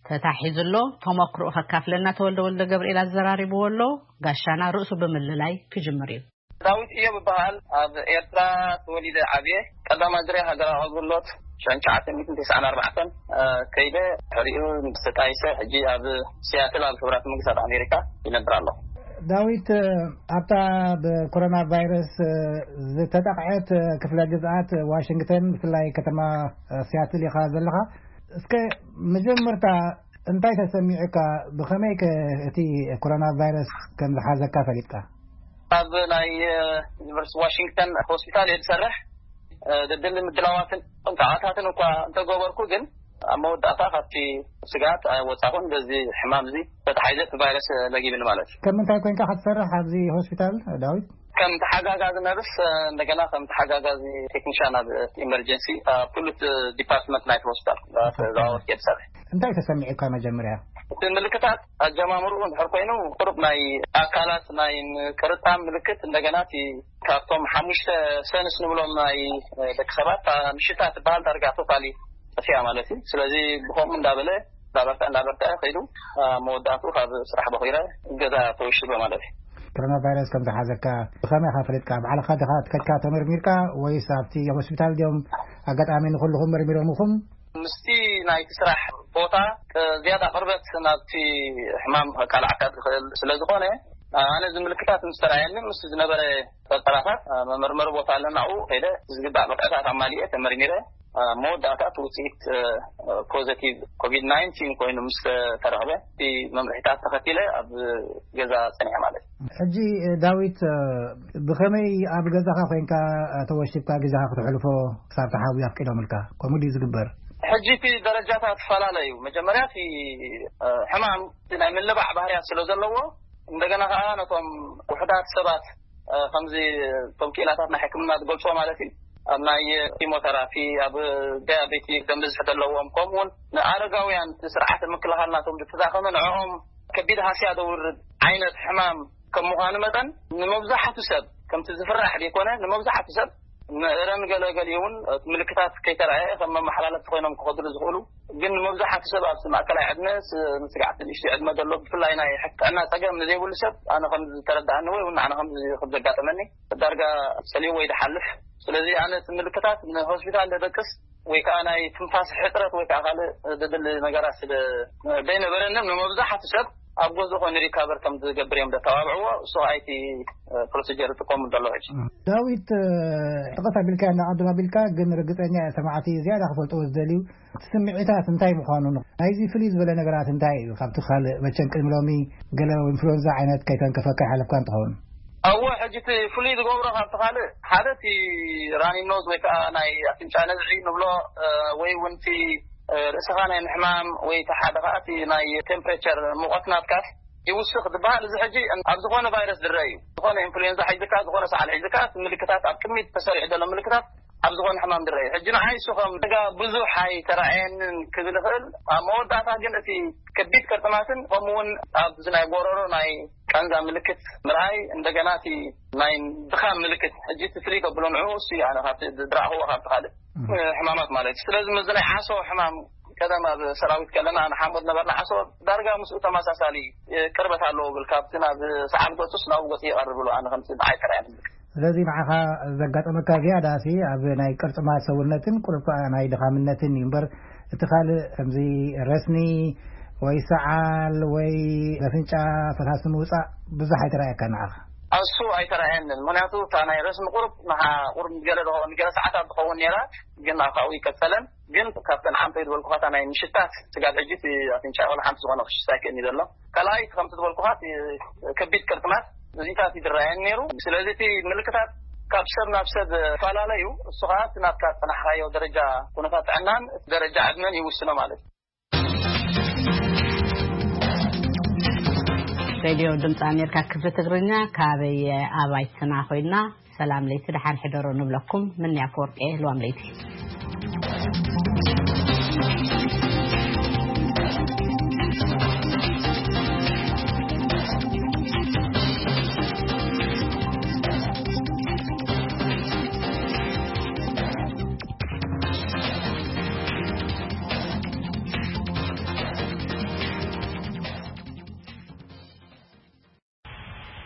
ተታሒዙ ኣሎ። ተመክሮኡ ከካፍለና ተወልደ ወልደ ገብርኤል ኣዘራሪብዎ ኣሎ። ጋሻና ርእሱ ብምልላይ ክጅምር እዩ። ዳዊት እዮብ እበሃል። ኣብ ኤርትራ ተወሊደ ዓብየ። ቀዳማይ ዙርያ ሃገራዊ ኣገልግሎት ሸንቻዓተ ሚእትን ተስዓን ኣርባዕተን ከይደ ሕሪኡ ተጣይሰ ሕጂ ኣብ ሲያትል ኣብ ሕቡራት መንግስታት ኣሜሪካ ይነብር ኣለኹ። ዳዊት፣ ኣብታ ብኮሮና ቫይረስ ዝተጠቕዐት ክፍለ ግዝኣት ዋሽንግተን ብፍላይ ከተማ ሲያትል ኢኻ ዘለኻ። እስከ መጀመርታ እንታይ ተሰሚዑካ? ብኸመይ ከ እቲ ኮሮና ቫይረስ ከም ዝሓዘካ ፈሊጥካ? ኣብ ናይ ዩኒቨርሲቲ ዋሽንግተን ሆስፒታል እየ ዝሰርሕ። ደድሊ ምድላዋትን ጥንቃቐታትን እኳ እንተገበርኩ ግን ኣብ መወዳእታ ካብቲ ስግኣት ኣይወፃኹን። በዚ ሕማም እዚ ተታሒዘ እቲ ቫይረስ ለጊብኒ ማለት እዩ። ከም ምንታይ ኮይንካ ክትሰርሕ ኣብዚ ሆስፒታል ዳዊት? ከም ተሓጋጋዚ ነርስ፣ እንደገና ከም ተሓጋጋዚ ቴክኒሻን ኣብ ኢመርጀንሲ ኣብ ኩሉ ዲፓርትመንት ናይቲ ሆስፒታል ተዘዋወርኩ እየ ዝሰርሕ። እንታይ ተሰሚዑካ መጀመርያ? እቲ ምልክታት ኣጀማምርኡ እንድሕር ኮይኑ ቁሩብ ናይ ኣካላት ናይ ምቅርጣም ምልክት፣ እንደገና እቲ ካብቶም ሓሙሽተ ሰንስ ንብሎም ናይ ደቂ ሰባት እታ ምሽታ ትበሃል ዳርጋ ቶታሊ ጠፊኣ ማለት እዩ። ስለዚ ብኸምኡ እንዳበለ እንዳበርትዐ እንዳበርትዐ ከይዱ መወዳእትኡ ካብ ስራሕ በኺረ ገዛ ተወሽበ ማለት እዩ። ኮሮና ቫይረስ ከም ዝሓዘካ ብኸመይ ኢኻ ፈሊጥካ? ባዕልኻ ዲኻ ከድካ ተመርሚርካ ወይስ ኣብቲ ሆስፒታል ድዮም ኣጋጣሚ ንኹልኹም መርሚሮምኹም? ምስቲ ናይቲ ስራሕ ቦታ ዝያዳ ቅርበት ናብቲ ሕማም ከቃልዓካ ዝኽእል ስለ ዝኾነ ኣነ እዚ ምልክታት ምስ ተራእየኒ ምስ ዝነበረ ጠጠራታት መመርመሪ ቦታ ኣለና ኣብኡ ከይደ ዝግባእ ብቕዕታት ኣማሊኤ ተመርሚረ መወዳእታ እቲ ውፅኢት ፖዘቲቭ ኮቪድ ናይንቲን ኮይኑ ምስ ተረኽበ እቲ መምርሒታት ተኸቲለ ኣብ ገዛ ፀኒሐ ማለት እዩ። ሕጂ ዳዊት ብኸመይ ኣብ ገዛኻ ኮይንካ ተወሽብካ ግዜኻ ክትሕልፎ ክሳብ ተሓዊ ኣፍቂዶምልካ? ከምኡ ድዩ ዝግበር? ሕጂ እቲ ደረጃታት ይፈላለ እዩ። መጀመርያ እቲ ሕማም ናይ ምልባዕ ባህርያት ስለ ዘለዎ እንደገና ከዓ ነቶም ውሕዳት ሰባት ከምዚ እቶም ክኢላታት ናይ ሕክምና ዝገልፅዎ ማለት እዩ ኣብ ናይ ኪሞተራፒ ኣብ ዲያቤቲክ ደም ብዝሒ ዘለዎም ከምኡውን ንኣረጋውያን ስርዓተ ምክልኻል ናቶም ዝተዳኸመ ንዕኦም ከቢድ ሃስያ ዘውርድ ዓይነት ሕማም ከም ምዃኑ መጠን ንመብዛሕቱ ሰብ ከምቲ ዝፍራሕ ዘይኮነ ንመብዛሕቱ ሰብ ንእረን ገለገሊ እውን ምልክታት ከይተረኣየ ከም መመሓላለፍቲ ኮይኖም ክኸድሉ ዝኽእሉ ግን ንመብዛሕቱ ሰብ ኣብቲ ማእከላይ ዕድመ ንስጋዕቲ ንእሽቶ ዕድመ ዘሎ ብፍላይ ናይ ጥዕና ፀገም ንዘይብሉ ሰብ ኣነ ከም ዝተረዳእኒ ወይ እውን ኣነ ከም ዘጋጠመኒ ዳርጋ ፀልዩ ወይ ዝሓልፍ ስለዚ ኣነ ምልክታት ንሆስፒታል ደደቅስ ወይ ከዓ ናይ ትንፋስ ሕፅረት ወይ ከዓ ካልእ ዘድሊ ነገራት ስለ ዘይነበረንን ንመብዛሕቱ ሰብ ኣብ ገዝኡ ኮይኑ ሪካቨር ከም ዝገብር እዮም ዘተባብዕዎ እሱ ኣይቲ ፕሮሲጀር ይጥቀሙ ዘሎ ሕጂ። ዳዊት ጠቐስ ኣቢልካ እንዳቐድም ኣቢልካ ግን ርግፀኛ እየ ሰማዕቲ ዝያዳ ክፈልጥዎ ዝደልዩ እቲ ስምዒታት እንታይ ምዃኑ ናይዚ ፍልይ ዝበለ ነገራት እንታይ እዩ ካብቲ ካልእ መቸም ቅድሚ ሎሚ ገለ ኢንፍሉዌንዛ ዓይነት ከይተንከፈካ ይሓለፍካ እንትኸውን? ኣወ ሕጂ እቲ ፍሉይ ዝገብሮ ካብቲ ካልእ ሓደ እቲ ራኒ ኖዝ ወይ ከዓ ናይ ኣፍንጫ ነዝዒ ንብሎ ወይ እውን እቲ ርእስኻ ናይ ምሕማም ወይ እቲ ሓደ ከዓ እቲ ናይ ቴምፕሬቸር ሙቐት ናትካስ ይውስኽ ዝበሃል እዚ ሕጂ ኣብ ዝኾነ ቫይረስ ዝረአ እዩ። ዝኾነ ኢንፍሉዌንዛ ሒዝካ ዝኾነ ሰዓል ሒዝካ እቲ ምልክታት ኣብ ቅድሚት ተሰሪዑ ዘሎ ምልክታት ኣብ ዝኾነ ሕማም ዝረአ እዩ። ሕጂ ንዓይ እሱ ከም ጋ ብዙሕ ኣይተረኣየንን ክብል ይኽእል። ኣብ መወዳእታ ግን እቲ ከቢድ ቅርጥማትን ከምኡ እውን ኣብዚ ናይ ጎረሮ ናይ ቃንዛ ምልክት ምርኣይ እንደገና እቲ ናይ ድኻም ምልክት ሕጂ እቲ ፍልይ ከብሎ ንዕኡ እሱ እዩ ኣነ ካብቲ ዝረኣኽዎ ካብቲ ካልእ ሕማማት ማለት እዩ። ስለዚ ምስዚ ናይ ዓሶ ሕማም ቀደም ኣብ ሰራዊት ከለና ንሓሙድ ነበርና ዓሶ ዳርጋ ምስኡ ተመሳሳሊ ቅርበት ኣለዎ ብል ካብቲ ናብ ሰዓል ገፁስ ናብኡ ገፁ ይቐርብ ብሎ ኣነ ከምቲ ንዓይ ተራእየ ምልክት ስለዚ ንዓኻ ዘጋጠመካ ዝያዳሲ ኣብ ናይ ቅርጽማት ሰውነትን ቁሩብ ከኣ ናይ ድኻምነትን እዩ እምበር፣ እቲ ካልእ ከምዚ ረስኒ ወይ ሰዓል ወይ ኣፍንጫ ፈሳሲ ምውጻእ ብዙሕ ኣይተራእየካ ንዓኻ? ኣሱ ኣይተራእየንን። ምኽንያቱ እታ ናይ ረስኒ ቁሩብ ንሓ-፣ ቁሩብ ንገለ ዶ-፣ ንገለ ሰዓታት ትኸውን ነይራ፣ ግን ኣብ ካብኡ ይቀጸለን። ግን ካብተን ዓንተይ ዝበልኩኻ እታ ናይ ምሽታት ስጋብ ሕጂ እቲ ኣፍንጫ ወላ ሓንቲ ዝኾነ ክሽታ ኣይክእልን እዩ ዘሎ። ካልኣይ እቲ ከምቲ ዝበልኩኻ እቲ ከቢድ ቅርጥማት እዚታት ይድረኣየን ነይሩ። ስለዚ እቲ ምልክታት ካብ ሰብ ናብ ሰብ ይፈላለ እዩ። እሱ ኸዓ እቲ ናብታ ዝጸናሕካዮ ደረጃ ኩነታት ጥዕናን ደረጃ ዕድመን ይውስኖ ማለት እዩ። ሬድዮ ድምፂ ኣሜሪካ ክፍሊ ትግርኛ ካበይ ኣባይትና ኮይና ሰላም ለይቲ ደሓን ሕደሩ ንብለኩም። ምንያ ኣፈወርቂ ልዋም ለይቲ።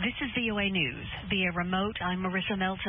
This is V O A News. Via remote, I'm Marissa Melton.